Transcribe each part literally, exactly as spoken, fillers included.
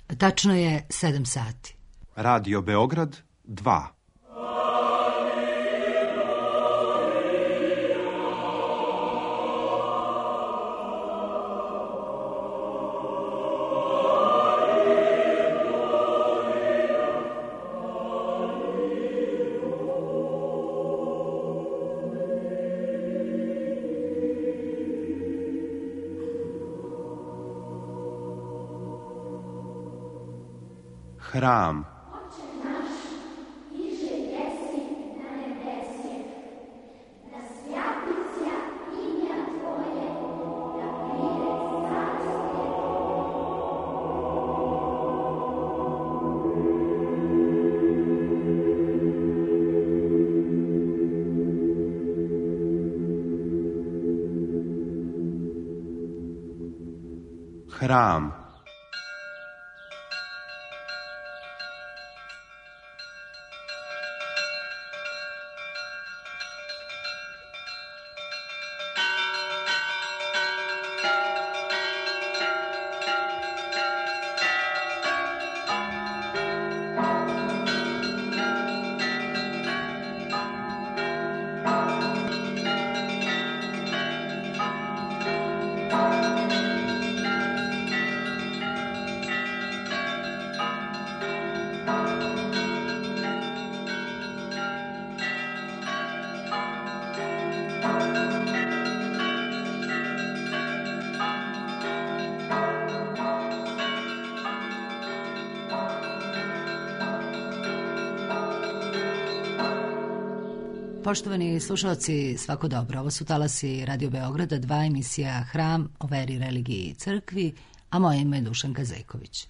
Tačno je sedam sati. Radio Beograd dva. Hram. Hram. Poštovani slušalci, svako dobro. Ovo su talasi Radio Beograda dva, emisija Hram o veri, religiji i crkvi, a moje ime je Dušanka Zejković.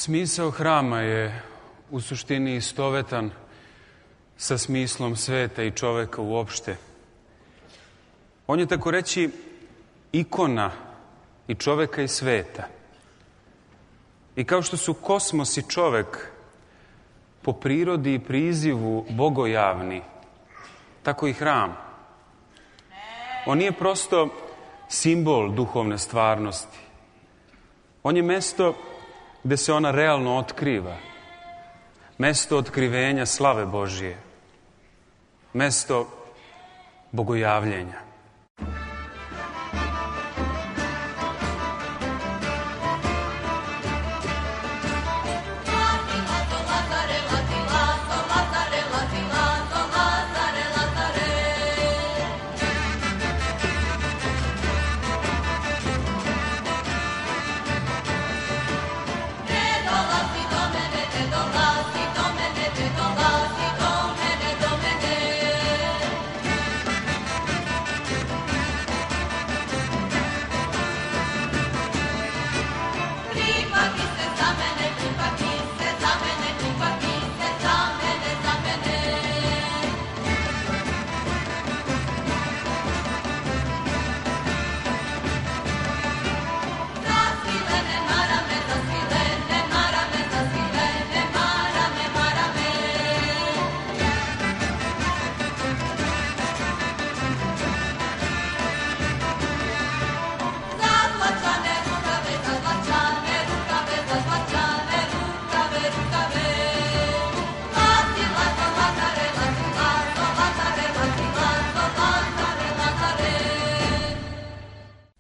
Smisao hrama je u suštini istovetan sa smislom sveta i čoveka uopšte. On je tako reći ikona i čoveka i sveta. I kao što su kosmos i čovek po prirodi i prizivu bogojavni, tako i hram. On nije prosto simbol duhovne stvarnosti. On je mesto gde se ona realno otkriva. Mesto otkrivenja slave Božije. Mesto bogojavljenja.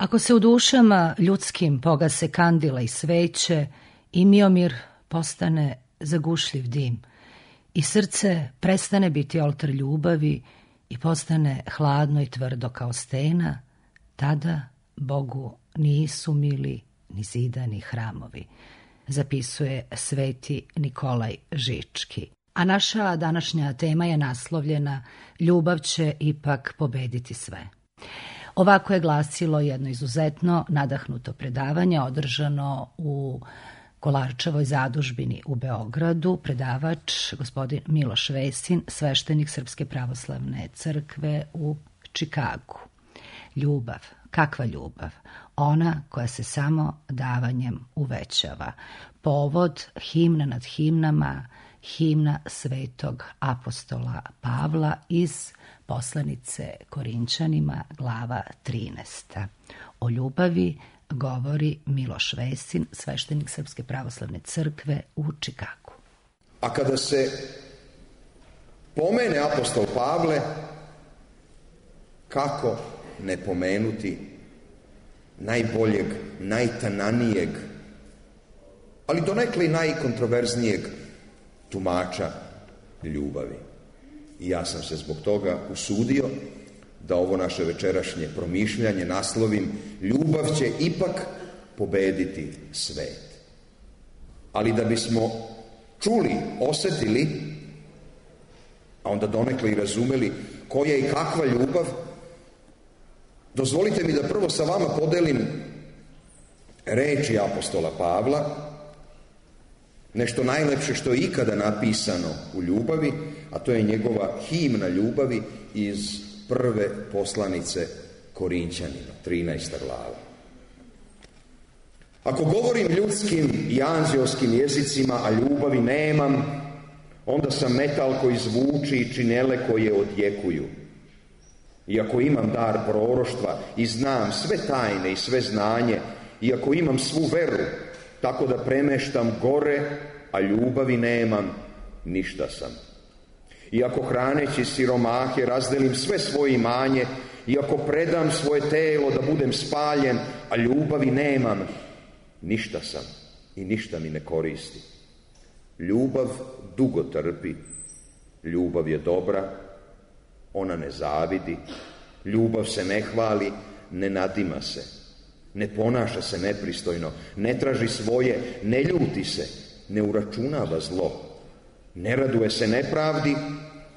Ako se u dušama ljudskim pogase kandila i sveće, i Miomir postane zagušljiv dim, i srce prestane biti oltar ljubavi i postane hladno i tvrdo kao stena, tada Bogu nisu mili ni zidani hramovi, zapisuje sveti Nikolaj Žički. A naša današnja tema je naslovljena Ljubav će ipak pobediti sve. Ovako je glasilo jedno izuzetno nadahnuto predavanje održano u Kolarčevoj zadužbini u Beogradu. Predavač gospodin Miloš Vesin, sveštenik Srpske pravoslavne crkve u Čikagu. Ljubav, kakva ljubav? Ona koja se samo davanjem uvećava. Povod himna nad himnama, himna svetog apostola Pavla iz poslanice Korinćanima, glava trinaesta. O ljubavi govori Miloš Vesin, sveštenik Srpske pravoslavne crkve u Čikagu. A kada se pomene apostol Pavle, kako ne pomenuti najboljeg, najtananijeg, ali donekle i najkontroverznijeg tumača ljubavi. I ja sam se zbog toga usudio da ovo naše večerašnje promišljanje naslovim Ljubav će ipak pobediti svet. Ali da bismo čuli, osetili, a onda donekle i razumeli koja i kakva ljubav, dozvolite mi da prvo sa vama podelim reči apostola Pavla, nešto najlepše što je ikada napisano u ljubavi, a to je njegova himna ljubavi iz prve poslanice Korinćanima, trinaesta glava. Ako govorim ljudskim i anđeoskim jezicima, a ljubavi nemam, onda sam metal koji zvuči i činele koje odjekuju. I ako imam dar proroštva i znam sve tajne i sve znanje, i ako imam svu veru, tako da premeštam gore, a ljubavi nemam, ništa sam. I ako hraneći siromahe razdelim sve svoje imanje, i ako predam svoje telo da budem spaljen, a ljubavi nemam, ništa sam i ništa mi ne koristi. Ljubav dugo trpi, ljubav je dobra, ona ne zavidi, ljubav se ne hvali, ne nadima se, ne ponaša se nepristojno, ne traži svoje, ne ljuti se, ne uračunava zlo, ne raduje se nepravdi,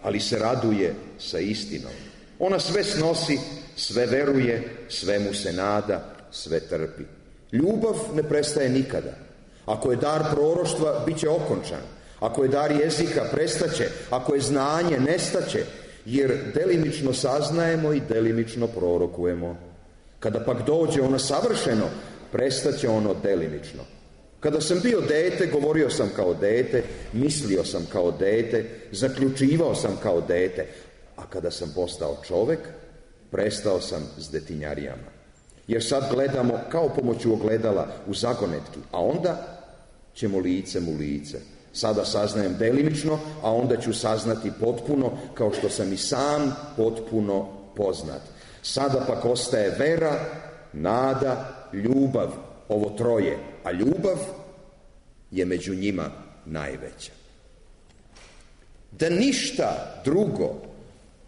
ali se raduje sa istinom. Ona sve snosi, sve veruje, svemu se nada, sve trpi. Ljubav ne prestaje nikada. Ako je dar proroštva, bit će okončan. Ako je dar jezika, prestaće. Ako je znanje, nestaće. Jer delimično saznajemo i delimično prorokujemo. Kada pak dođe ono savršeno, prestaće ono delimično. Kada sam bio dete, govorio sam kao dete, mislio sam kao dete, zaključivao sam kao dete, a kada sam postao čovek, prestao sam s detinjarijama. Jer sad gledamo kao pomoću ogledala u zagonetki, a onda ćemo licem u lice. Sada saznajem delimično, a onda ću saznati potpuno, kao što sam i sam potpuno poznat. Sada pak ostaje vera, nada, ljubav, ovo troje, a ljubav je među njima najveća. Da ništa drugo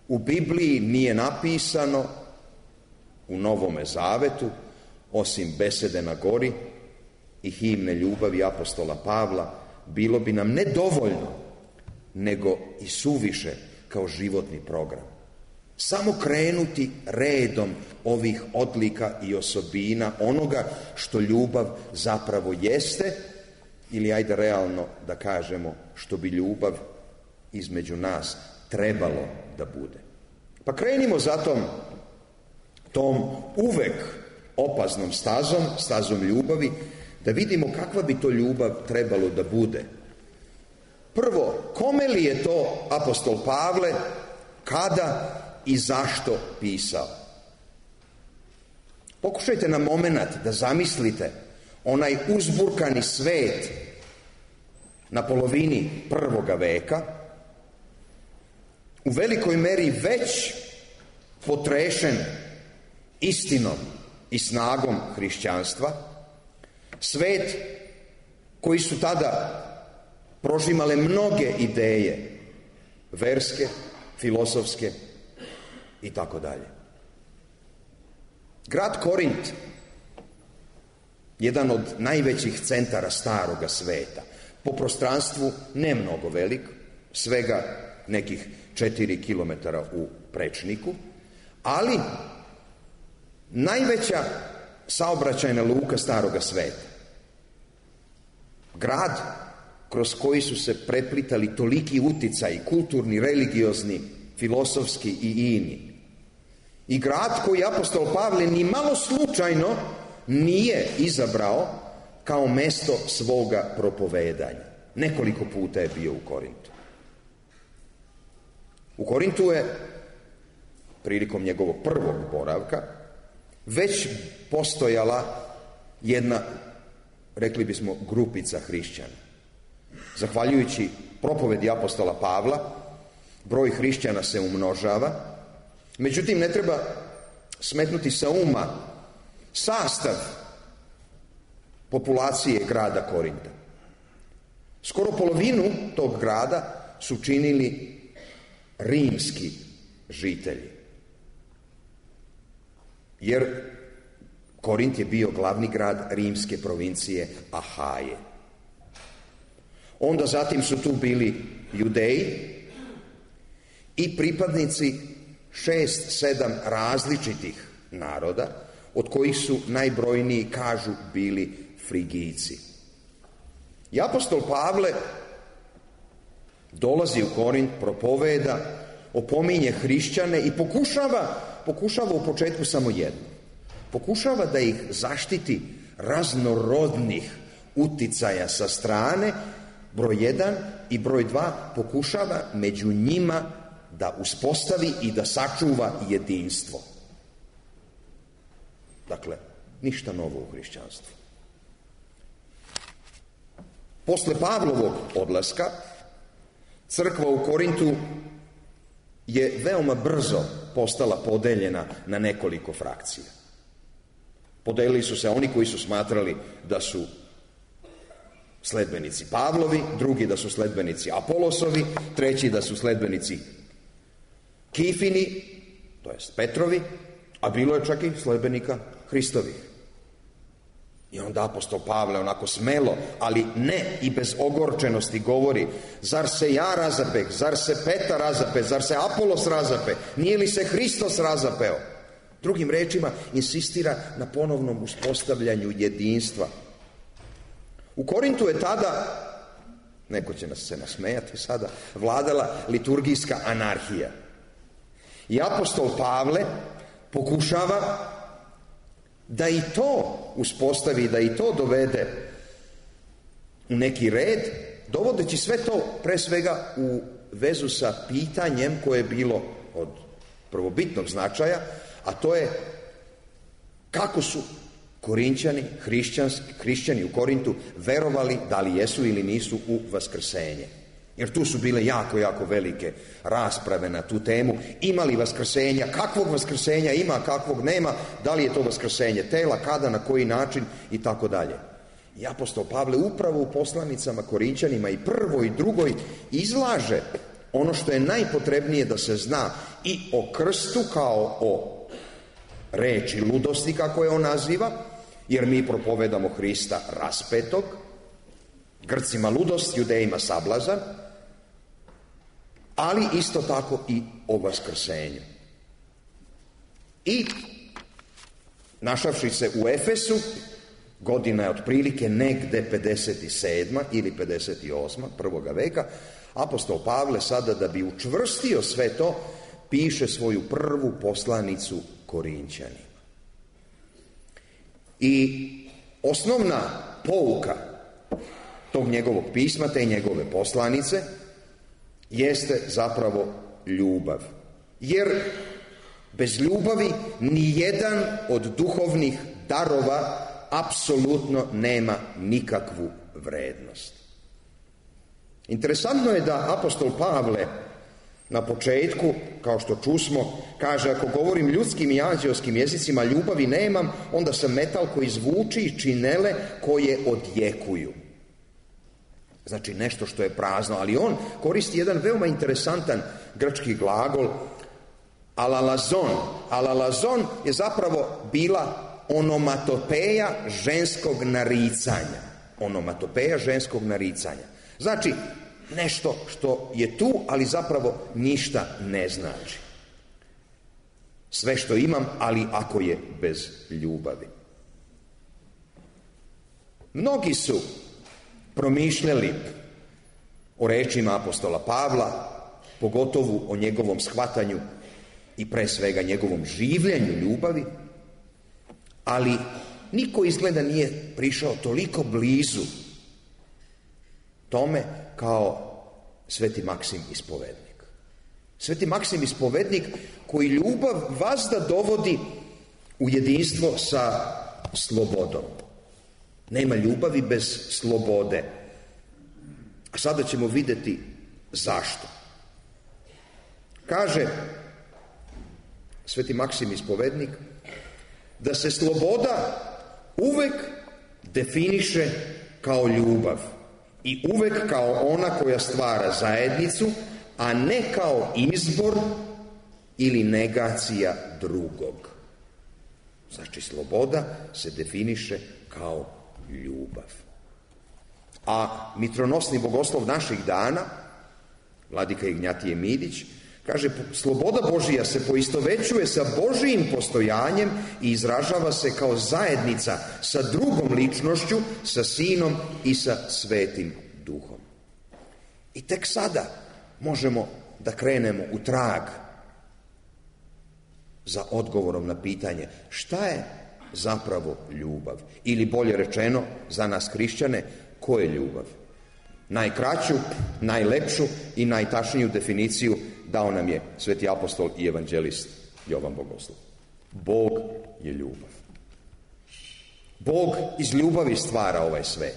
u Bibliji nije napisano u Novome Zavetu, osim besede na gori i himne ljubavi apostola Pavla, bilo bi nam ne dovoljno, nego i suviše kao životni program. Samo krenuti redom ovih odlika i osobina onoga što ljubav zapravo jeste, ili ajde realno da kažemo što bi ljubav između nas trebalo da bude. Pa krenimo zatom tom uvek opasnom stazom, stazom ljubavi, da vidimo kakva bi to ljubav trebalo da bude. Prvo, kome li je to apostol Pavle, kada i zašto pisao? Pokušajte na momenat da zamislite onaj uzburkani svet na polovini prvoga veka, u velikoj meri već potrešen istinom i snagom hrišćanstva, svet koji su tada prožimale mnoge ideje, verske, filosofske i tako dalje. Grad Korint, jedan od najvećih centara staroga sveta, po prostranstvu ne mnogo velik, svega nekih četiri kilometara u prečniku, ali najveća saobraćajna luka staroga sveta. Grad kroz koji su se preplitali toliki uticaji, kulturni, religiozni, filosofski i ini. I grad koji apostol Pavle ni malo slučajno nije izabrao kao mesto svoga propovedanja. Nekoliko puta je bio u Korintu. U Korintu je, prilikom njegovog prvog boravka, već postojala jedna, rekli bismo, grupica hrišćana. Zahvaljujući propovedi apostola Pavla, broj hrišćana se umnožava, međutim ne treba smetnuti sa uma sastav populacije grada Korinta. Skoro polovinu tog grada su činili rimski žitelji. Jer Korint je bio glavni grad rimske provincije Ahaje. Onda zatim su tu bili Judeji i pripadnici šest, sedam različitih naroda, od kojih su najbrojniji, kažu, bili Frigijci. I apostol Pavle dolazi u Korint, propoveda, opominje hrišćane i pokušava, pokušava u početku samo jedno. Pokušava da ih zaštiti raznorodnih uticaja sa strane, broj jedan, i broj dva, pokušava među njima da uspostavi i da sačuva jedinstvo. Dakle, ništa novo u hrišćanstvu. Posle Pavlovog odlaska, crkva u Korintu je veoma brzo postala podeljena na nekoliko frakcija. Podelili su se oni koji su smatrali da su sledbenici Pavlovi, drugi da su sledbenici Apolosovi, treći da su sledbenici Kifini, to jest Petrovi, a bilo je čak i sledbenika Hristovih. I onda apostol Pavle onako smelo, ali ne i bez ogorčenosti govori: zar se ja razapeh, zar se Petar razape, zar se Apolos razape, nije li se Hristos razapeo? Drugim rečima, insistira na ponovnom uspostavljanju jedinstva. U Korintu je tada, neko će nas se nasmejati sada, vladala liturgijska anarhija. I apostol Pavle pokušava da i to uspostavi, da i to dovede u neki red, dovodeći sve to pre svega u vezu sa pitanjem koje je bilo od prvobitnog značaja, a to je kako su Korinćani, hrišćani u Korintu verovali, da li jesu ili nisu, u vaskrsenje. Jer tu su bile jako, jako velike rasprave na tu temu. Ima li vaskrsenja, kakvog vaskrsenja ima, kakvog nema, da li je to vaskrsenje tela, kada, na koji način i tako dalje. I apostol Pavle upravo u poslanicama Korinćanima i prvoj i drugoj izlaže ono što je najpotrebnije da se zna i o krstu kao o reči ludosti, kako je on naziva, jer mi propovedamo Hrista raspetog, Grcima ludost, Judejima sablazan, ali isto tako i o vaskrsenju. I našavši se u Efesu, godina je otprilike negde pedeset sedma ili pedeset osma prvoga veka, apostol Pavle sada, da bi učvrstio sve to, piše svoju prvu poslanicu Korinćanima. I osnovna pouka tog njegovog pisma, te njegove poslanice, jeste zapravo ljubav. Jer bez ljubavi ni jedan od duhovnih darova apsolutno nema nikakvu vrednost. Interesantno je da apostol Pavle Na početku, kao što čusmo, kaže, ako govorim ljudskim i anđeoskim jezicima, ljubavi nemam, onda sam metal koji zvuči i činele koje odjekuju. Znači nešto što je prazno, ali on koristi jedan veoma interesantan grčki glagol, alalazon. Alalazon je zapravo bila onomatopeja ženskog naricanja. Onomatopeja ženskog naricanja. Znači, nešto što je tu, ali zapravo ništa ne znači. Sve što imam, ali ako je bez ljubavi. Mnogi su promišljali o rečima apostola Pavla, pogotovo o njegovom shvatanju i pre svega njegovom življenju ljubavi, ali niko izgleda nije prišao toliko blizu tome kao Sveti Maksim Ispovednik. Sveti Maksim Ispovednik koji ljubav vazda dovodi u jedinstvo sa slobodom. Nema ljubavi bez slobode. A sada ćemo vidjeti zašto. Kaže Sveti Maksim Ispovednik da se sloboda uvek definiše kao ljubav i uvek kao ona koja stvara zajednicu, a ne kao izbor ili negacija drugog. Znači, sloboda se definiše kao ljubav. A mitronosni bogoslov naših dana, vladika Ignjatije Midić, kaže, sloboda Božija se poistovećuje sa Božijim postojanjem i izražava se kao zajednica sa drugom ličnošću, sa Sinom i sa Svetim Duhom. I tek sada možemo da krenemo u trag za odgovorom na pitanje šta je zapravo ljubav? Ili bolje rečeno, za nas hrišćane, ko je ljubav? Najkraću, najlepšu i najtačniju definiciju dao nam je sveti apostol i evanđelist Jovan Bogoslov. Bog je ljubav. Bog iz ljubavi stvara ovaj svet.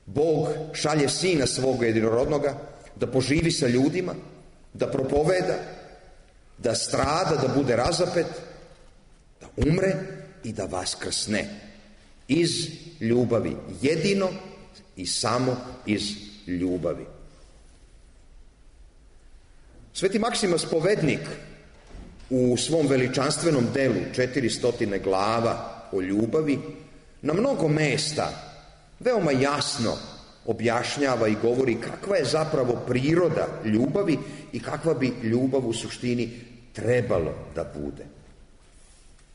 Bog šalje Sina svoga jedinorodnoga da poživi sa ljudima, da propoveda, da strada, da bude razapet, da umre i da vaskrsne. Iz ljubavi, jedino i samo iz ljubavi. Sveti Maksim Ispovednik u svom veličanstvenom delu četiri stotine glava o ljubavi na mnogo mesta veoma jasno objašnjava i govori kakva je zapravo priroda ljubavi i kakva bi ljubav u suštini trebalo da bude.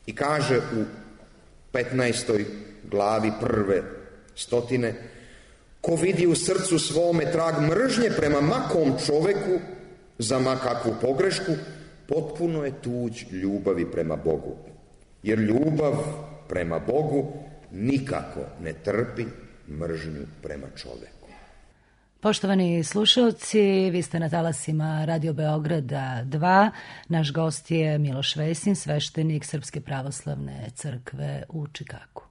I kaže u petnaestoj glavi prve stotine: ko vidi u srcu svome trag mržnje prema makom čoveku za makakvu pogrešku, potpuno je tuđ ljubavi prema Bogu. Jer ljubav prema Bogu nikako ne trpi mržnju prema čoveku. Poštovani slušalci, vi ste na talasima Radio Beograda dva. Naš gost je Miloš Vesin, sveštenik Srpske pravoslavne crkve u Čikagu.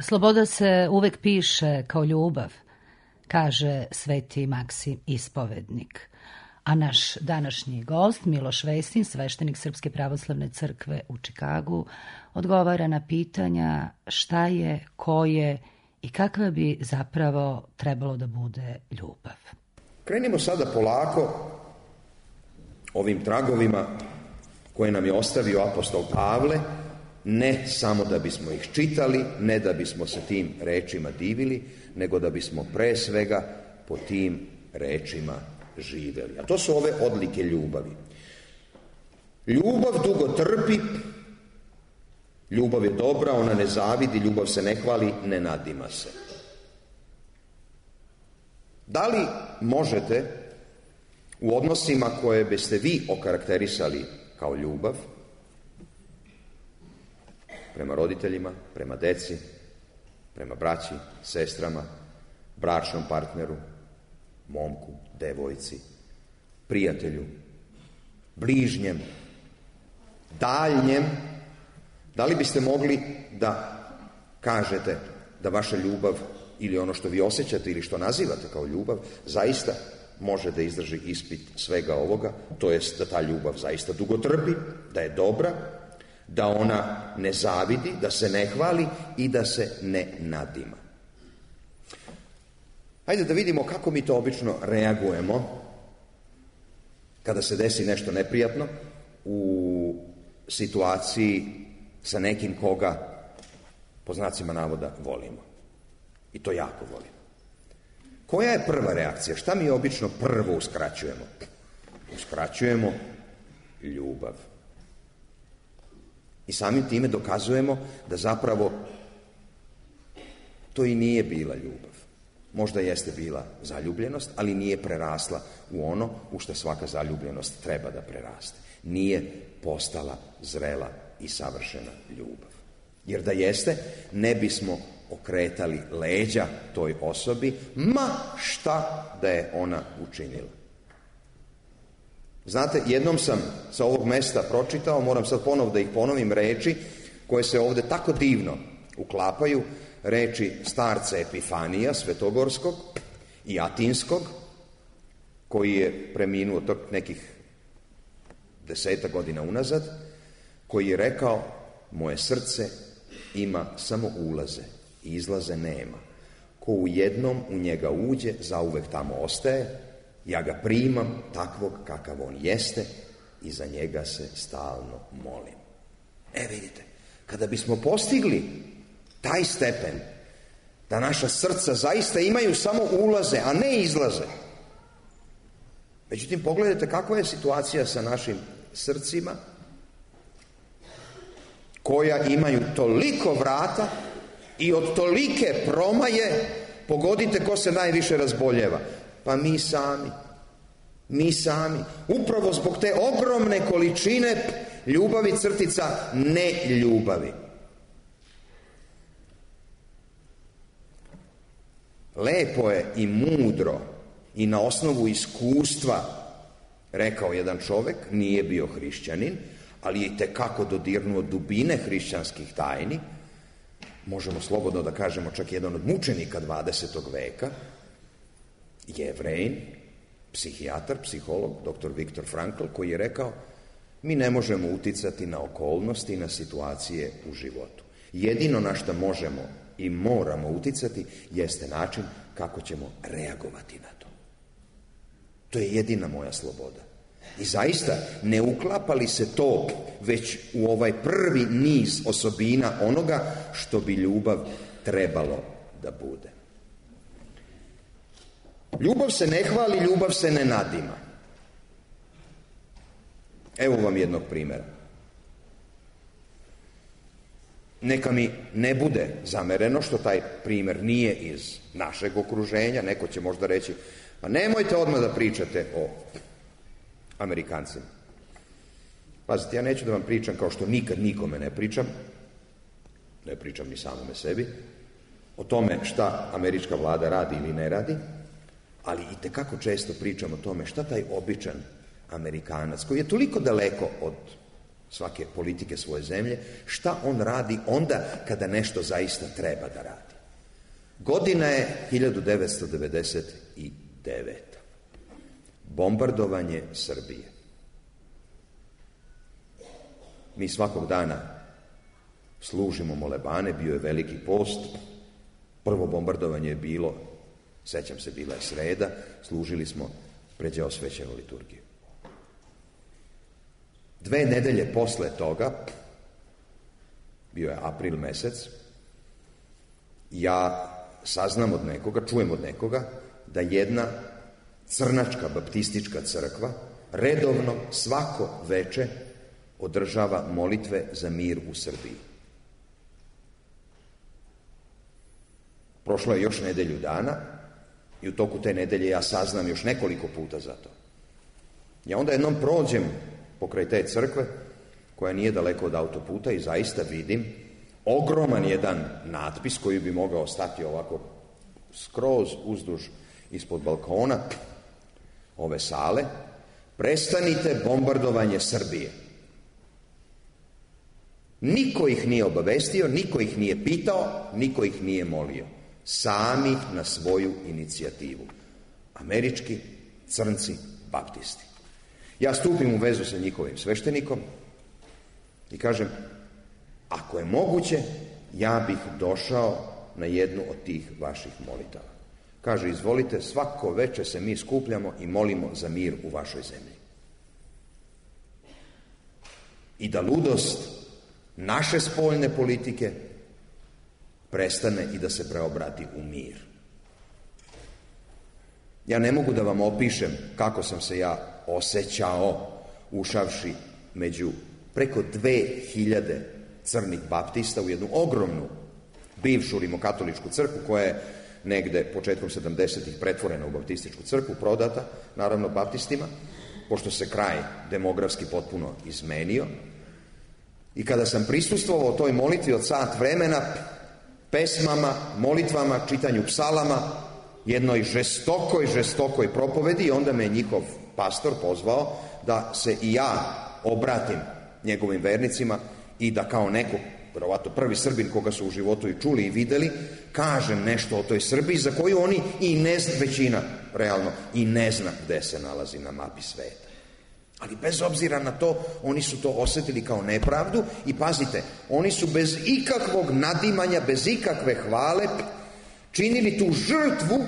Sloboda se uvek piše kao ljubav, kaže sveti Maksim Ispovednik. A naš današnji gost, Miloš Vesin, sveštenik Srpske pravoslavne crkve u Čikagu, odgovara na pitanja šta je, ko je i kakva bi zapravo trebalo da bude ljubav. Krenimo sada polako ovim tragovima koje nam je ostavio apostol Pavle, ne samo da bismo ih čitali, ne da bismo se tim rečima divili, nego da bismo pre svega po tim rečima živeli. A to su ove odlike ljubavi. Ljubav dugo trpi, ljubav je dobra, ona ne zavidi, ljubav se ne hvali, ne nadima se. Da li možete u odnosima koje biste vi okarakterisali kao ljubav, prema roditeljima, prema deci, prema braći, sestrama, bračnom partneru, momku, devojci, prijatelju, bližnjem, daljnjem, da li biste mogli da kažete da vaša ljubav ili ono što vi osjećate ili što nazivate kao ljubav zaista može da izdrži ispit svega ovoga, to jest da ta ljubav zaista dugo trpi, da je dobra, da ona ne zavidi, da se ne hvali i da se ne nadima. Hajde da vidimo kako mi to obično reagujemo kada se desi nešto neprijatno u situaciji sa nekim koga, po znacima navoda, volimo. I to jako volimo. Koja je prva reakcija? Šta mi obično prvo uskraćujemo? Uskraćujemo ljubav. I samim time dokazujemo da zapravo to i nije bila ljubav. Možda jeste bila zaljubljenost, ali nije prerasla u ono u što svaka zaljubljenost treba da preraste. Nije postala zrela i savršena ljubav. Jer da jeste, ne bismo okretali leđa toj osobi, ma šta da je ona učinila. Znate, jednom sam sa ovog mesta pročitao, moram sad ponovo da ih ponovim, reči koje se ovde tako divno uklapaju, reči starca Epifanija Svetogorskog i Atinskog, koji je preminuo tok nekih deseta godina unazad, koji je rekao: moje srce ima samo ulaze, izlaze nema. Ko u jednom u njega uđe, zauvek tamo ostaje. Ja ga primam takvog kakav on jeste i za njega se stalno molim. E vidite, kada bismo postigli taj stepen da naša srca zaista imaju samo ulaze, a ne izlaze. Međutim, pogledajte kakva je situacija sa našim srcima koja imaju toliko vrata i od tolike promaje, pogodite ko se najviše razboljeva. Pa mi sami, mi sami, upravo zbog te ogromne količine ljubavi crtica ne ljubavi. Lepo je i mudro i na osnovu iskustva rekao jedan čovek, nije bio hrišćanin, ali je itekako dodirnuo dubine hrišćanskih tajni, možemo slobodno da kažemo čak jedan od mučenika dvadesetog veka, Jevrejin, psihijatar, psiholog, doktor Viktor Frankl, koji je rekao: mi ne možemo uticati na okolnosti i na situacije u životu. Jedino na što možemo i moramo uticati jeste način kako ćemo reagovati na to. To je jedina moja sloboda. I zaista, ne uklapa li se to već u ovaj prvi niz osobina onoga što bi ljubav trebalo da bude. Ljubav se ne hvali, ljubav se ne nadima. Evo vam jednog primjera. Neka mi ne bude zamereno što taj primjer nije iz našeg okruženja. Neko će možda reći: pa nemojte odmah da pričate o Amerikancima. Pazite, ja neću da vam pričam kao što nikad nikome ne pričam, ne pričam ni samome sebi, o tome šta američka vlada radi ili ne radi, ali i tekako često pričam o tome šta taj običan Amerikanac, koji je toliko daleko od svake politike svoje zemlje, šta on radi onda kada nešto zaista treba da radi. Godina je hiljadu devetsto devedeset deveta. bombardovanje Srbije. Mi svakog dana služimo molebane, bio je Veliki post, prvo bombardovanje je bilo, sećam se, bila je sreda, služili smo pređeosvećenu liturgiju. Dve nedelje posle toga, bio je april mesec, ja saznam od nekoga, čujem od nekoga, da jedna crnačka baptistička crkva redovno svako veče održava molitve za mir u Srbiji. Prošlo je još nedelju dana i u toku te nedelje ja saznam još nekoliko puta za to. Ja onda jednom prođem pokraj te crkve, koja nije daleko od autoputa, i zaista vidim ogroman jedan natpis koji bi mogao stati ovako skroz uzduž ispod balkona ove sale: prestanite bombardovanje Srbije. Niko ih nije obavestio, niko ih nije pitao, niko ih nije molio. Sami na svoju inicijativu. Američki crnci baptisti. Ja stupim u vezu sa njihovim sveštenikom i kažem: ako je moguće, ja bih došao na jednu od tih vaših molitava. Kaže: izvolite, svako veče se mi skupljamo i molimo za mir u vašoj zemlji. I da ludost naše spoljne politike prestane i da se preobrati u mir. Ja ne mogu da vam opišem kako sam se ja osjećao ušavši među preko dve hiljade crnih baptista u jednu ogromnu bivšu rimokatoličku crkvu, koja je negde početkom sedamdesetih pretvorena u baptističku crkvu, prodata naravno baptistima, pošto se kraj demografski potpuno izmenio. I kada sam prisustvovao toj molitvi od sat vremena, pesmama, molitvama, čitanju psalama, jednoj žestokoj, žestokoj propovedi, onda me njihov pastor pozvao da se i ja obratim njegovim vernicima i da kao neko, verovatno prvi Srbin koga su u životu i čuli i videli, kažem nešto o toj Srbiji za koju oni i ne zna, većina realno i ne zna gde se nalazi na mapi sveta. Ali bez obzira na to, oni su to osetili kao nepravdu i pazite, oni su bez ikakvog nadimanja, bez ikakve hvale činili tu žrtvu,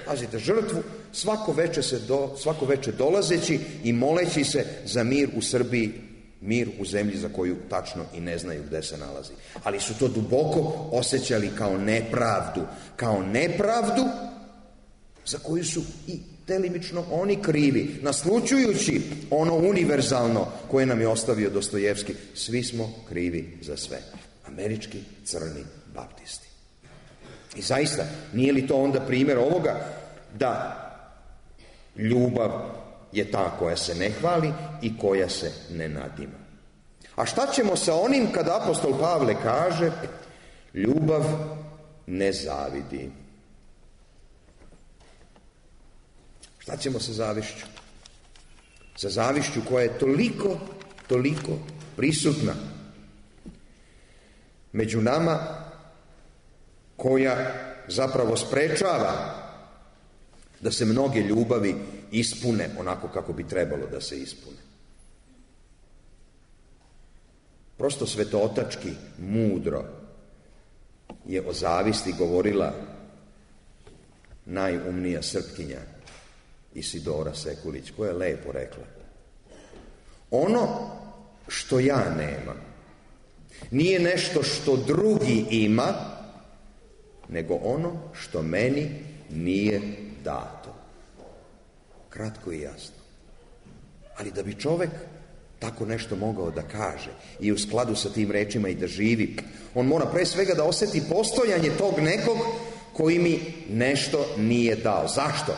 pazite, žrtvu, svako veče, se do, svako veče dolazeći i moleći se za mir u Srbiji, mir u zemlji za koju tačno i ne znaju gde se nalazi. Ali su to duboko osjećali kao nepravdu, kao nepravdu za koju su i delimično oni krivi, naslućujući ono univerzalno koje nam je ostavio Dostojevski: svi smo krivi za sve. Američki crni baptisti. I zaista, nije li to onda primjer ovoga da ljubav je ta koja se ne hvali i koja se ne nadima? A šta ćemo sa onim kada apostol Pavle kaže: ljubav ne zavidi? Šta ćemo sa zavišću? Sa zavišću koja je toliko, toliko prisutna među nama, koja zapravo sprečava da se mnoge ljubavi ispune onako kako bi trebalo da se ispune. Prosto svetootački mudro je o zavisti govorila najumnija Srpkinja Isidora Sekulić, koja je lepo rekla: ono što ja nemam nije nešto što drugi ima, nego ono što meni nije dato. Kratko i jasno. Ali da bi čovek tako nešto mogao da kaže i u skladu sa tim rečima i da živi, on mora pre svega da oseti postojanje tog nekog koji mi nešto nije dao. Zašto?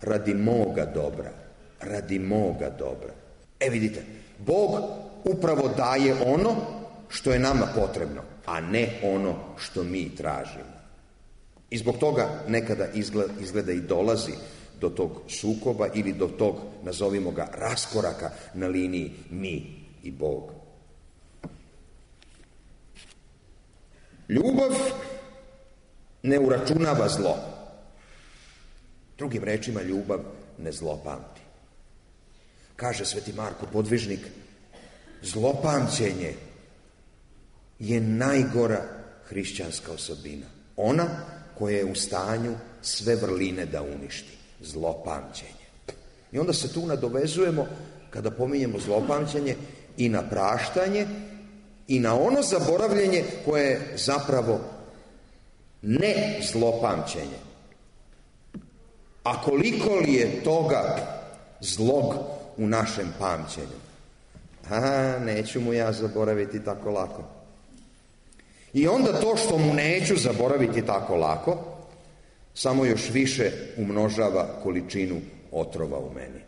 Radi moga dobra. Radi moga dobra. E vidite, Bog upravo daje ono što je nama potrebno, a ne ono što mi tražimo. I zbog toga nekada izgleda, izgleda i dolazi do tog sukoba ili do tog, nazovimo ga, raskoraka na liniji mi i Bog. Ljubav ne uračunava zlo. Drugim rečima, ljubav ne zlopamti. Kaže sveti Marko Podvižnik, zlopamćenje je najgora hrišćanska osobina. Ona koja je u stanju sve vrline da uništi. Zlopamćenje. I onda se tu nadovezujemo, kada pominjemo zlopamćenje, i na praštanje i na ono zaboravljenje koje je zapravo ne zlopamćenje. A koliko li je toga zlog u našem pamćenju? A, neću mu ja zaboraviti tako lako. I onda to što mu neću zaboraviti tako lako, samo još više umnožava količinu otrova u meni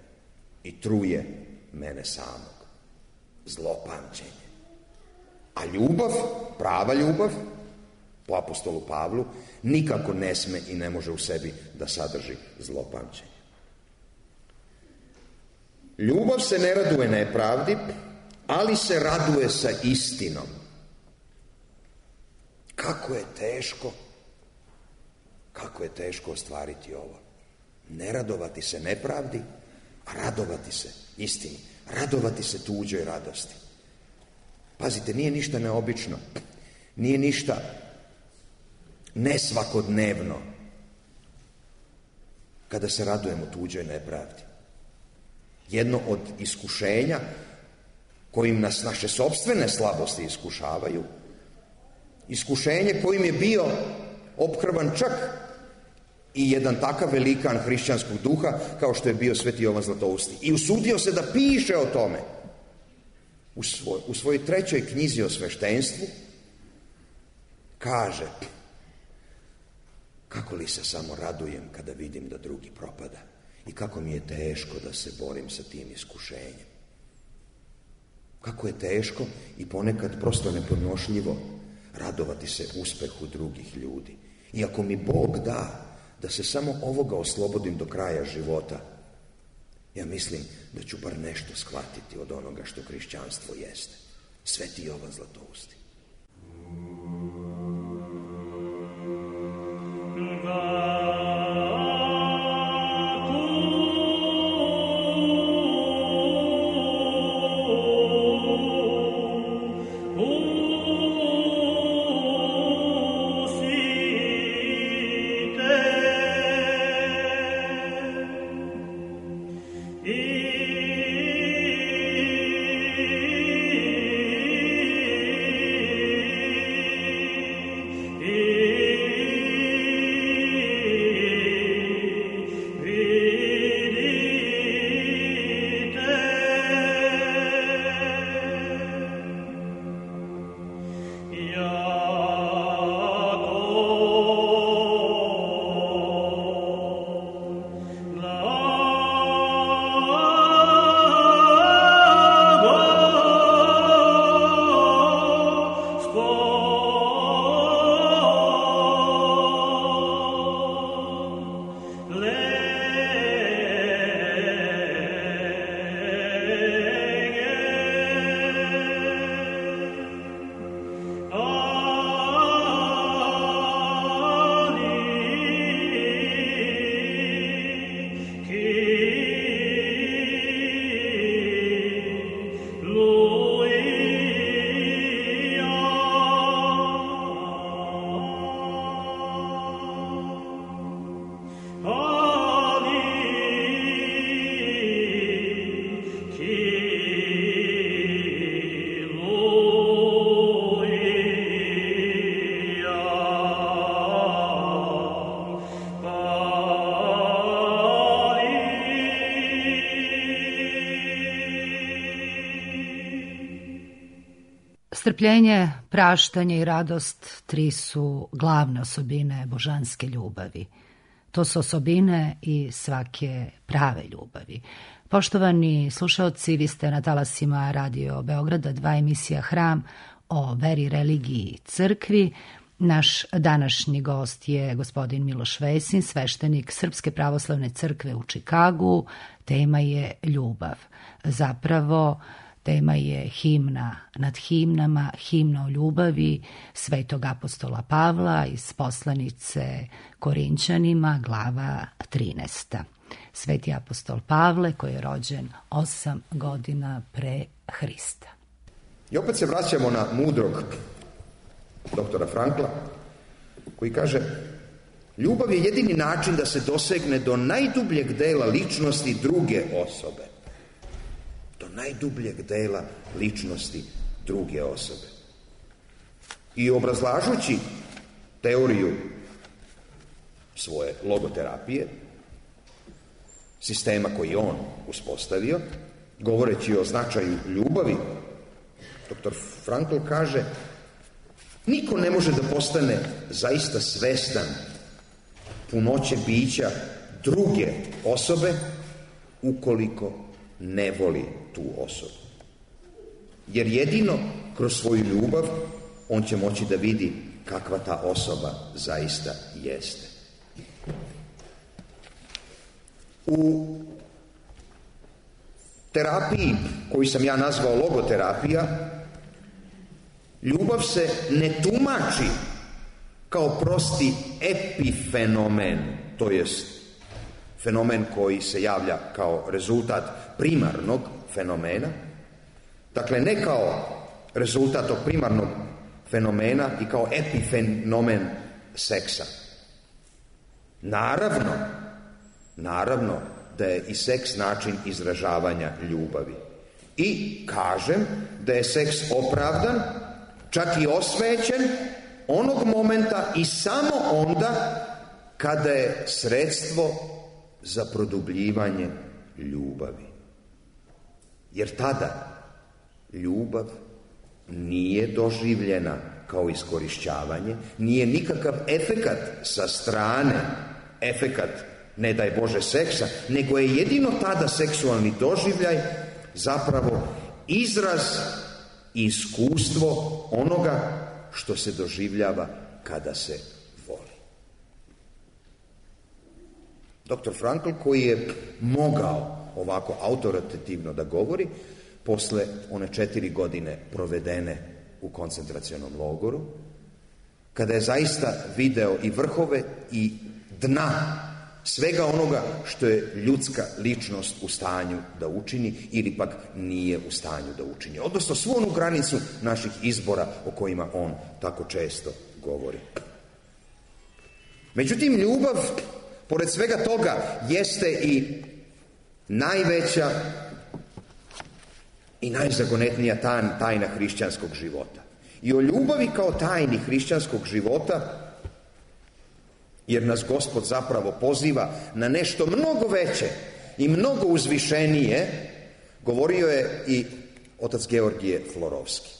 i truje mene samog. Zlopamćenje. A ljubav, prava ljubav, po apostolu Pavlu, nikako ne sme i ne može u sebi da sadrži zlopamćenje. Ljubav se ne raduje nepravdi, ali se raduje sa istinom. Kako je teško, kako je teško ostvariti ovo. Ne radovati se nepravdi, a radovati se istini. Radovati se tuđoj radosti. Pazite, nije ništa neobično. Nije ništa nesvakodnevno kada se radujemo tuđoj nepravdi. Jedno od iskušenja kojim nas naše sopstvene slabosti iskušavaju, iskušenje kojim je bio ophrvan čak i jedan takav velikan hrišćanskog duha kao što je bio sveti Jovan Zlatousti. I usudio se da piše o tome u, svoj, u svojoj trećoj knjizi o sveštenstvu. Kaže, kako li se samo radujem kada vidim da drugi propada i kako mi je teško da se borim sa tim iskušenjem. Kako je teško i ponekad prosto nepodnošljivo radovati se uspehu drugih ljudi. I ako mi Bog da da se samo ovoga oslobodim do kraja života, ja mislim da ću bar nešto shvatiti od onoga što hrišćanstvo jeste. Sveti Jovan Zlatousti. Strpljenje, praštanje i radost tri su glavne osobine božanske ljubavi. To su osobine i svake prave ljubavi. Poštovani slušaoci, vi ste na talasima Radio Beograda, dva emisija Hram o veri, religiji i crkvi. Naš današnji gost je gospodin Miloš Vesin, sveštenik Srpske pravoslavne crkve u Čikagu. Tema je ljubav. Zapravo, Tema je himna nad himnama, himna o ljubavi svetog apostola Pavla iz poslanice Korinćanima, glava trinaesta. Sveti apostol Pavle, koji je rođen osam godina pre Hrista. I opet se vraćamo na mudrog doktora Frankla, koji kaže: ljubav je jedini način da se dosegne do najdubljeg dela ličnosti druge osobe. Do najdubljeg dela ličnosti druge osobe. I obrazlažući teoriju svoje logoterapije, sistema koji je on uspostavio, govoreći o značaju ljubavi, doktor Frankl kaže: niko ne može da postane zaista svestan punoće bića druge osobe ukoliko ne voli tu osobu. Jer jedino kroz svoju ljubav on će moći da vidi kakva ta osoba zaista jeste. U terapiji koju sam ja nazvao logoterapija, ljubav se ne tumači kao prosti epifenomen, to jest fenomen koji se javlja kao rezultat primarnog fenomena, dakle ne kao rezultat tog primarnog fenomena i kao epifenomen seksa. Naravno, naravno da je i seks način izražavanja ljubavi. I kažem da je seks opravdan, čak i osvećen, onog momenta i samo onda kada je sredstvo za produbljivanje ljubavi. Jer tada ljubav nije doživljena kao iskorišćavanje, nije nikakav efekat sa strane, efekat, ne daj Bože, seksa, nego je jedino tada seksualni doživljaj zapravo izraz i iskustvo onoga što se doživljava kada se voli. doktor Frankl, koji je mogao ovako autoritativno da govori, posle one četiri godine provedene u koncentracionom logoru, kada je zaista video i vrhove i dna svega onoga što je ljudska ličnost u stanju da učini ili pak nije u stanju da učini. Odnosno svu onu granicu naših izbora o kojima on tako često govori. Međutim, ljubav, pored svega toga, jeste i najveća i najzagonetnija tajna hrišćanskog života. I o ljubavi kao tajni hrišćanskog života, jer nas Gospod zapravo poziva na nešto mnogo veće i mnogo uzvišenije, govorio je i otac Georgije Florovski,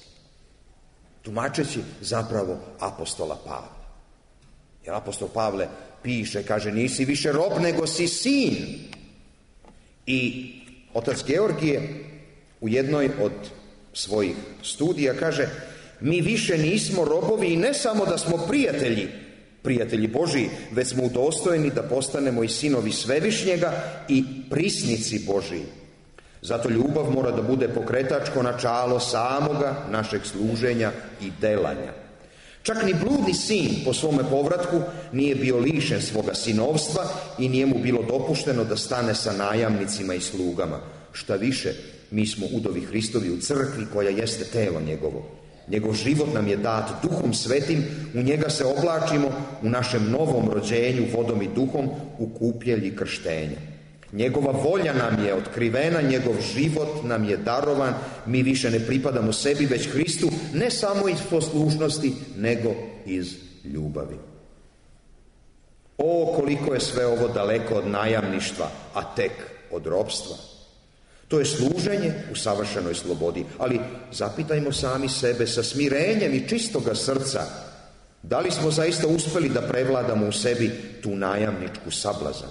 tumačeći zapravo apostola Pavla. Jer apostol Pavle piše, kaže, nisi više rob, nego si sin. I otac Georgije u jednoj od svojih studija kaže, mi više nismo robovi i ne samo da smo prijatelji, prijatelji Božiji, već smo udostojeni da postanemo i sinovi Svevišnjega i prisnici Božiji. Zato ljubav mora da bude pokretačko načalo samoga našeg služenja i delanja. Čak ni bludni sin po svome povratku nije bio lišen svoga sinovstva i nije mu bilo dopušteno da stane sa najamnicima i slugama. Šta više, mi smo udovi Hristovi u crkvi koja jeste telo njegovo. Njegov život nam je dat Duhom Svetim, u njega se oblačimo u našem novom rođenju vodom i duhom u kupjelji krštenja. Njegova volja nam je otkrivena, njegov život nam je darovan, mi više ne pripadamo sebi, već Hristu, ne samo iz poslušnosti, nego iz ljubavi. O, koliko je sve ovo daleko od najamništva, a tek od ropstva. To je služenje u savršenoj slobodi, ali zapitajmo sami sebe sa smirenjem i čistoga srca, da li smo zaista uspeli da prevladamo u sebi tu najamničku sablazan?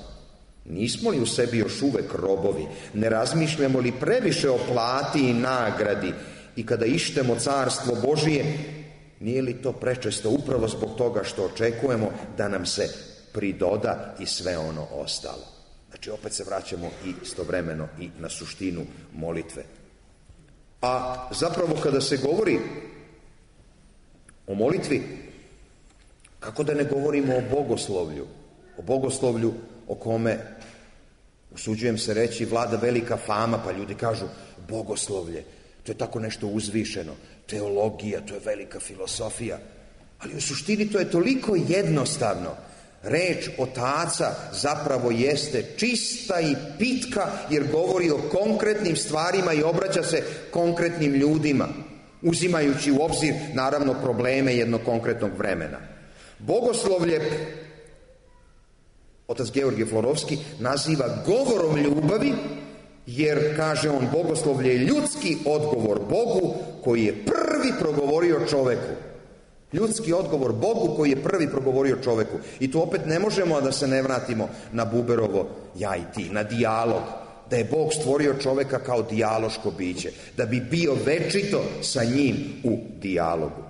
Nismo li u sebi još uvek robovi? Ne razmišljamo li previše o plati i nagradi? I kada ištemo carstvo Božije, nije li to prečesto upravo zbog toga što očekujemo da nam se pridoda i sve ono ostalo? Znači, opet se vraćamo i istovremeno i na suštinu molitve. A zapravo kada se govori o molitvi, kako da ne govorimo o bogoslovlju, o bogoslovlju o kome, usuđujem se reći, vlada velika fama, pa ljudi kažu bogoslovlje, to je tako nešto uzvišeno, teologija, to je velika filosofija, ali u suštini to je toliko jednostavno. Reč otaca zapravo jeste čista i pitka, jer govori o konkretnim stvarima i obraća se konkretnim ljudima, uzimajući u obzir, naravno, probleme jednog konkretnog vremena. Bogoslovlje otac Georgije Florovski naziva govorom ljubavi, jer, kaže on, bogoslovlje je ljudski odgovor Bogu koji je prvi progovorio čoveku. Ljudski odgovor Bogu koji je prvi progovorio čoveku. I tu opet ne možemo da se ne vratimo na Buberovo ja i ti, na dijalog, da je Bog stvorio čoveka kao dijaloško biće, da bi bio večito sa njim u dijalogu.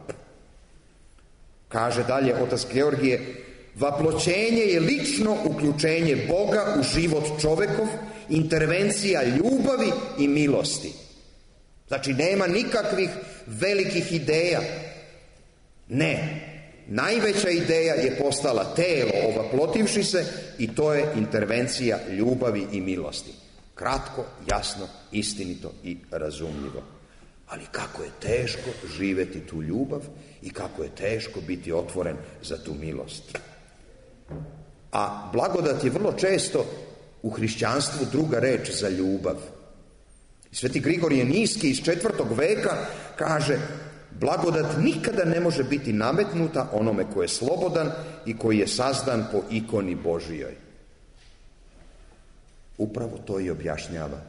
Kaže dalje otac Georgije, vaploćenje je lično uključenje Boga u život čovekov, intervencija ljubavi i milosti. Znači, nema nikakvih velikih ideja. Ne, najveća ideja je postala telo ovaplotivši se i to je intervencija ljubavi i milosti. Kratko, jasno, istinito i razumljivo. Ali kako je teško živeti tu ljubav i kako je teško biti otvoren za tu milost. A blagodat je vrlo često u hrišćanstvu druga reč za ljubav. Sveti Grigorije Niski iz četvrtog veka kaže, blagodat nikada ne može biti nametnuta onome ko je slobodan i koji je sazdan po ikoni Božijoj. Upravo to i objašnjava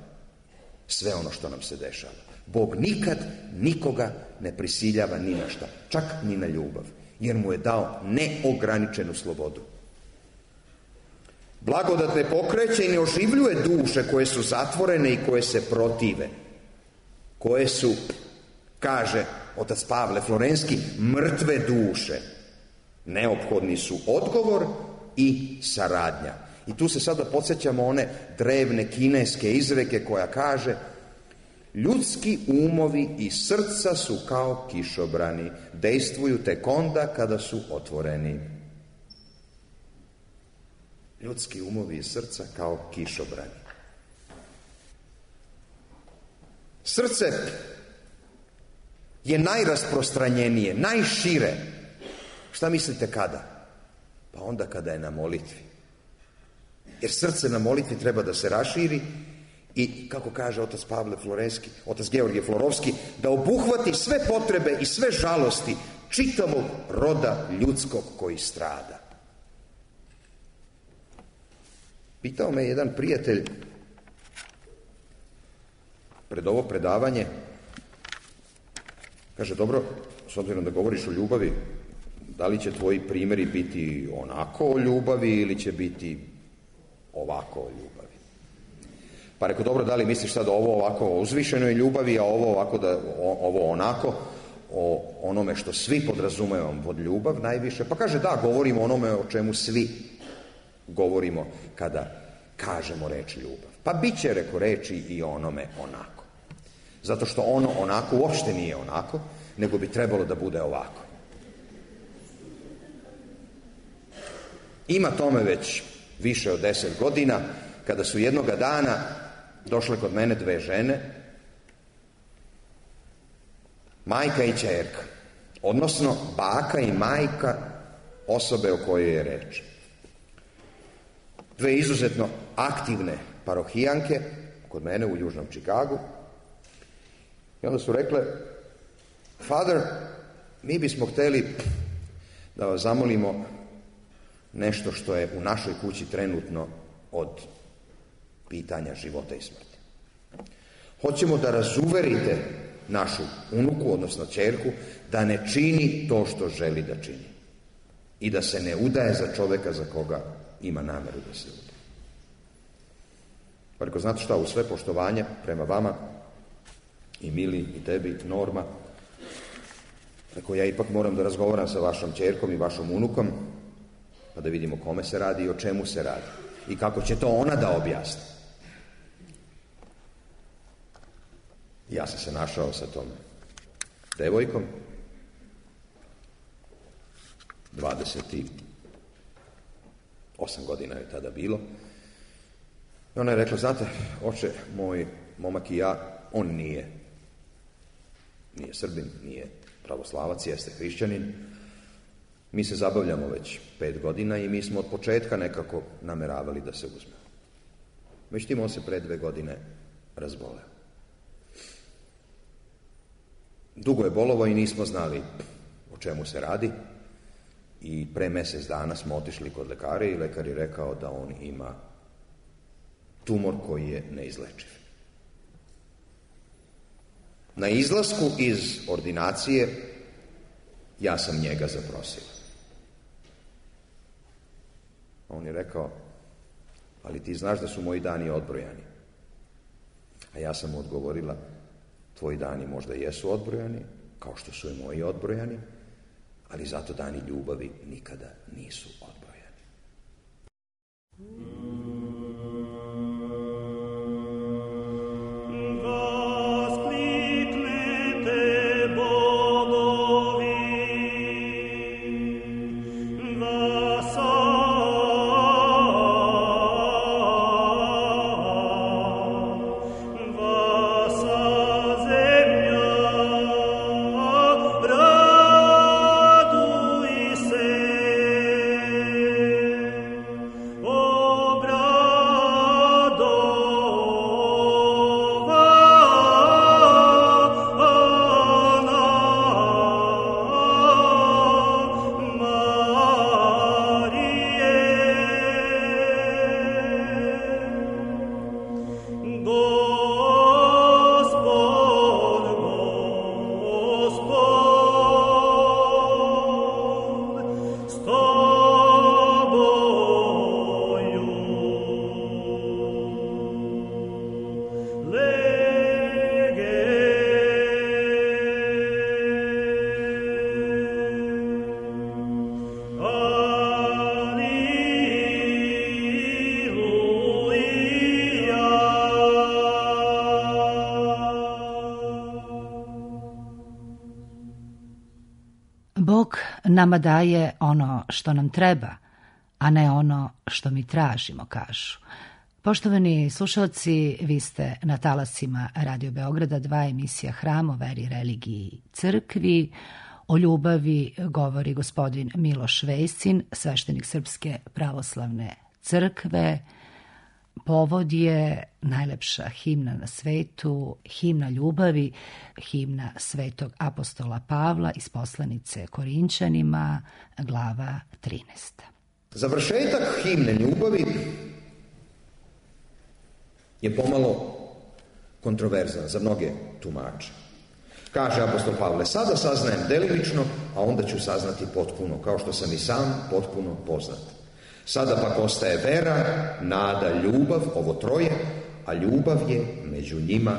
sve ono što nam se dešava. Bog nikad nikoga ne prisiljava ni na šta, čak ni na ljubav, jer mu je dao neograničenu slobodu. Blagodat ne pokreće i ne oživljuje duše koje su zatvorene i koje se protive, koje su, kaže otac Pavle Florenski, mrtve duše. Neophodni su odgovor i saradnja. I tu se sada podsjećamo one drevne kineske izreke koja kaže, ljudski umovi i srca su kao kišobrani, dejstvuju tek onda kada su otvoreni. Ljudski umovi i srca kao kišobrani. Srce je najrasprostranjenije, najšire. Šta mislite kada? Pa onda kada je na molitvi. Jer srce na molitvi treba da se raširi i, kako kaže otac Pavle Florenski, otac Georgije Florovski, da obuhvati sve potrebe i sve žalosti čitavog roda ljudskog koji strada. Pitao me jedan prijatelj pred ovo predavanje, kaže, dobro, s obzirom da govoriš o ljubavi, da li će tvoji primjeri biti onako o ljubavi ili će biti ovako o ljubavi? Pa rekao, dobro, da li misliš sad ovo ovako o uzvišenoj ljubavi, a ovo ovako da, o, ovo onako o onome što svi podrazumevamo pod ljubav najviše? Pa kaže, da, govorimo o onome o čemu svi govorimo kada kažemo reč ljubav. Pa bit će, reko, reči i onome onako. Zato što ono onako uopšte nije onako, nego bi trebalo da bude ovako. Ima tome već više od deset godina, kada su jednoga dana došle kod mene dve žene, majka i ćerka, odnosno baka i majka osobe o kojoj je reč. Dve izuzetno aktivne parohijanke kod mene u Južnom Čikagu. I onda su rekle, Father, mi bismo htjeli da vas zamolimo nešto što je u našoj kući trenutno od pitanja života i smrti. Hoćemo da razuverite našu unuku, odnosno ćerku, da ne čini to što želi da čini i da se ne udaje za čoveka za koga ima nameru da se udaje. Pa reko, znate šta, u sve poštovanje prema vama, i Mili, i tebi, Norma, reko, ja ipak moram da razgovaram sa vašom ćerkom i vašom unukom, pa da vidimo kome se radi i o čemu se radi i kako će to ona da objasni. Ja sam se našao sa tom devojkom, dvadeset osam godina je tada bilo. I ona je rekla, znate, oče, moj momak i ja, on nije, nije Srbin, nije pravoslavac, jeste hrišćanin. Mi se zabavljamo već pet godina i mi smo od početka nekako nameravali da se uzmemo. Međutim, on se pre dve godine razboleo. Dugo je bolovao i nismo znali o čemu se radi i pre mjesec dana smo otišli kod lekara i lekar je rekao da on ima tumor koji je neizlečiv. Na izlasku iz ordinacije ja sam njega zaprosio. On je rekao, ali ti znaš da su moji dani odbrojani. A ja sam mu odgovorila, tvoji dani možda jesu odbrojani, kao što su i moji odbrojani, ali zato dani ljubavi nikada nisu odbrojani. Bog nama daje ono što nam treba, a ne ono što mi tražimo, kažu. Poštovani slušalci, vi ste na talasima Radio Beograda dva, emisija Hram o veri, religiji, crkvi. O ljubavi govori gospodin Miloš Vejsin, sveštenik Srpske pravoslavne crkve. Povod je najlepša himna na svetu, himna ljubavi, himna svetog apostola Pavla iz poslanice Korinčanima, glava trinaesta. Završetak himne ljubavi je pomalo kontroverzan za mnoge tumače. Kaže apostol Pavle, sada saznajem delimično, a onda ću saznati potpuno, kao što sam i sam potpuno poznat. Sada pak ostaje vera, nada, ljubav, ovo troje, a ljubav je među njima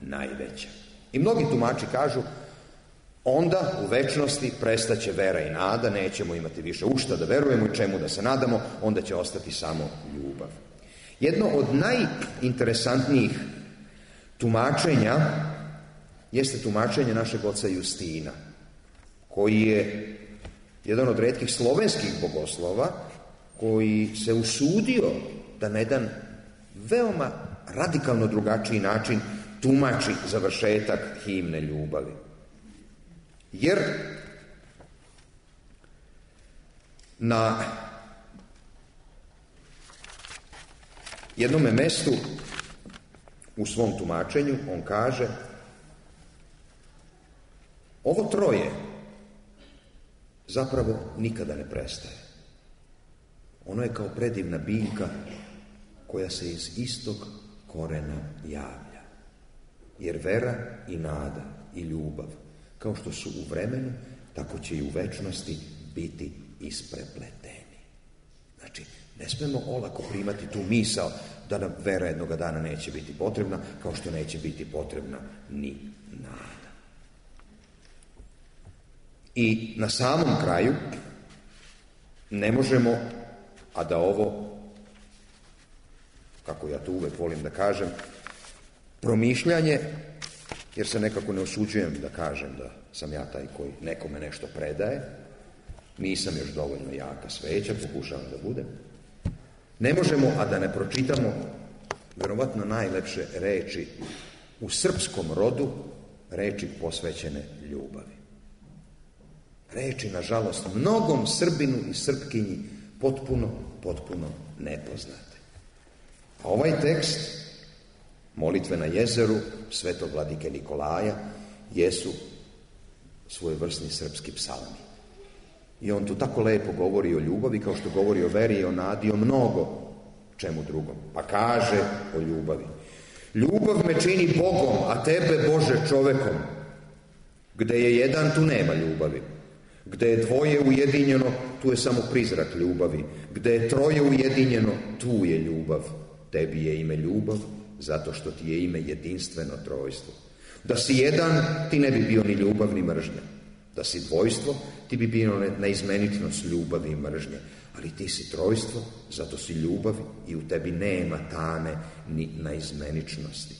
najveća. I mnogi tumači kažu, onda u večnosti prestaće vera i nada, nećemo imati više u šta da verujemo i čemu da se nadamo, onda će ostati samo ljubav. Jedno od najinteresantnijih tumačenja jeste tumačenje našeg oca Justina, koji je jedan od retkih slovenskih bogoslova koji se usudio da na jedan veoma radikalno drugačiji način tumači završetak himne ljubavi. Jer na jednome mestu u svom tumačenju on kaže, ovo troje zapravo nikada ne prestaje. Ono je kao predivna biljka koja se iz istog korena javlja. Jer vera i nada i ljubav, kao što su u vremenu, tako će i u večnosti biti isprepleteni. Znači, ne smemo olako primati tu misao da nam vera jednoga dana neće biti potrebna, kao što neće biti potrebna ni nada. I na samom kraju ne možemo, a da ovo, kako ja to uvek volim da kažem, promišljanje jer se nekako ne osuđujem da kažem da sam ja taj koji nekome nešto predaje. Nisam još dovoljno jaka sveća, pokušavam da budem. Ne možemo, a da ne pročitamo verovatno najlepše reči u srpskom rodu, reči posvećene ljubavi. Reči, nažalost, mnogom Srbinu i Srpkinji potpuno, potpuno nepoznate. A ovaj tekst, molitve na jezeru svetog vladike Nikolaja, jesu svojevrsni srpski psalmi. I on tu tako lepo govori o ljubavi, kao što govori o veri i o nadi, o mnogo čemu drugom. Pa kaže o ljubavi. Ljubav me čini Bogom, a tebe, Bože, čovekom. Gde je jedan, tu nema ljubavi. Gde je dvoje ujedinjeno, tu je samo prizrak ljubavi. Gde je troje ujedinjeno, tu je ljubav. Tebi je ime ljubav, zato što ti je ime jedinstveno trojstvo. Da si jedan, ti ne bi bio ni ljubav ni mržnja. Da si dvojstvo, ti bi bio neizmenitnost ljubavi i mržnje. Ali ti si trojstvo, zato si ljubav i u tebi nema tame ni neizmeničnosti.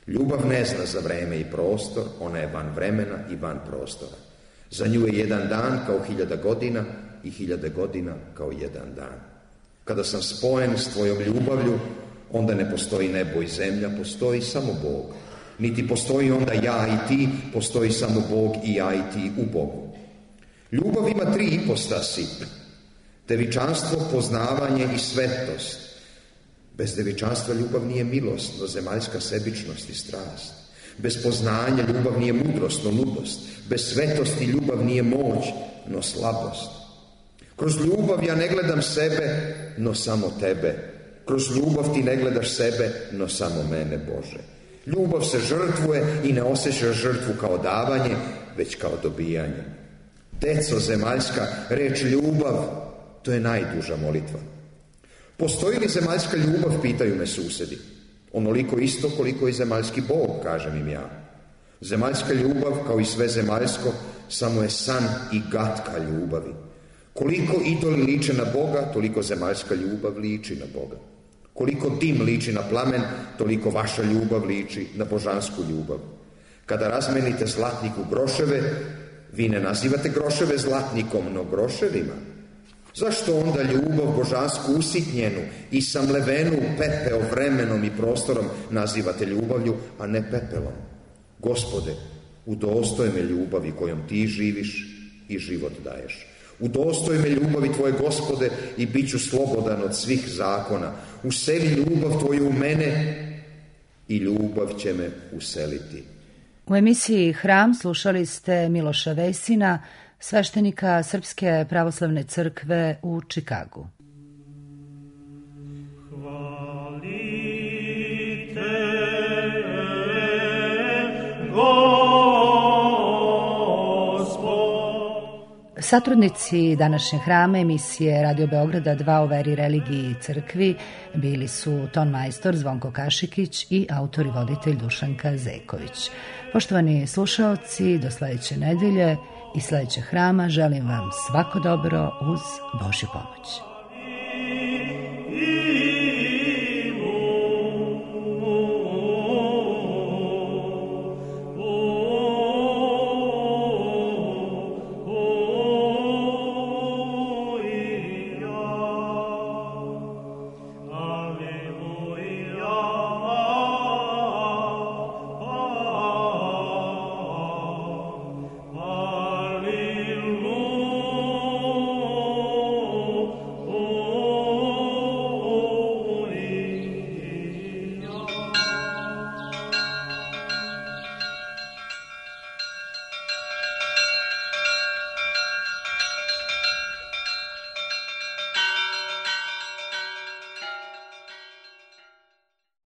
Ljubav ne zna za vreme i prostor, ona je van vremena i van prostora. Za nju je jedan dan kao hiljada godina i hiljade godina kao jedan dan. Kada sam spojen s tvojom ljubavlju, onda ne postoji nebo i zemlja, postoji samo Bog. Niti postoji onda ja i ti, postoji samo Bog i ja i ti u Bogu. Ljubav ima tri ipostasi: devičanstvo, poznavanje i svetost. Bez devičanstva ljubav nije milost, no zemaljska sebičnost i strast. Bez poznanja ljubav nije mudrost, no ludost. Bez svetosti ljubav nije moć, no slabost. Kroz ljubav ja ne gledam sebe, no samo tebe. Kroz ljubav ti ne gledaš sebe, no samo mene, Bože. Ljubav se žrtvuje i ne osjeća žrtvu kao davanje, već kao dobijanje. Deco zemaljska, reč ljubav, to je najduža molitva. Postoji li zemaljska ljubav, pitaju me susedi. Onoliko isto koliko i zemaljski Bog, kažem im ja. Zemaljska ljubav, kao i sve zemaljsko, samo je san i gatka ljubavi. Koliko idoli liče na Boga, toliko zemaljska ljubav liči na Boga. Koliko dim liči na plamen, toliko vaša ljubav liči na božansku ljubav. Kada razmenite zlatnik u groševe, vi ne nazivate groševe zlatnikom, no groševima. Zašto onda ljubav božansku usitnjenu i samlevenu pepeo vremenom i prostorom nazivate ljubavlju, a ne pepelom? Gospode, udostoj me ljubavi kojom ti živiš i život daješ. Udostoj me ljubavi tvoje, Gospode, i bit ću slobodan od svih zakona. Useli ljubav tvoju u mene i ljubav će me useliti. U emisiji Hram slušali ste Miloša Vesina, sveštenika Srpske pravoslavne crkve u Čikagu. Satrudnici današnje Hrama emisije Radio Beograda dva o veri, religiji i crkvi bili su ton majstor Zvonko Kašikić i autor i voditelj Dušanka Zeković. Poštovani slušaoci, do sledeće nedelje i sledećeg Hrama želim vam svako dobro uz Božju pomoć.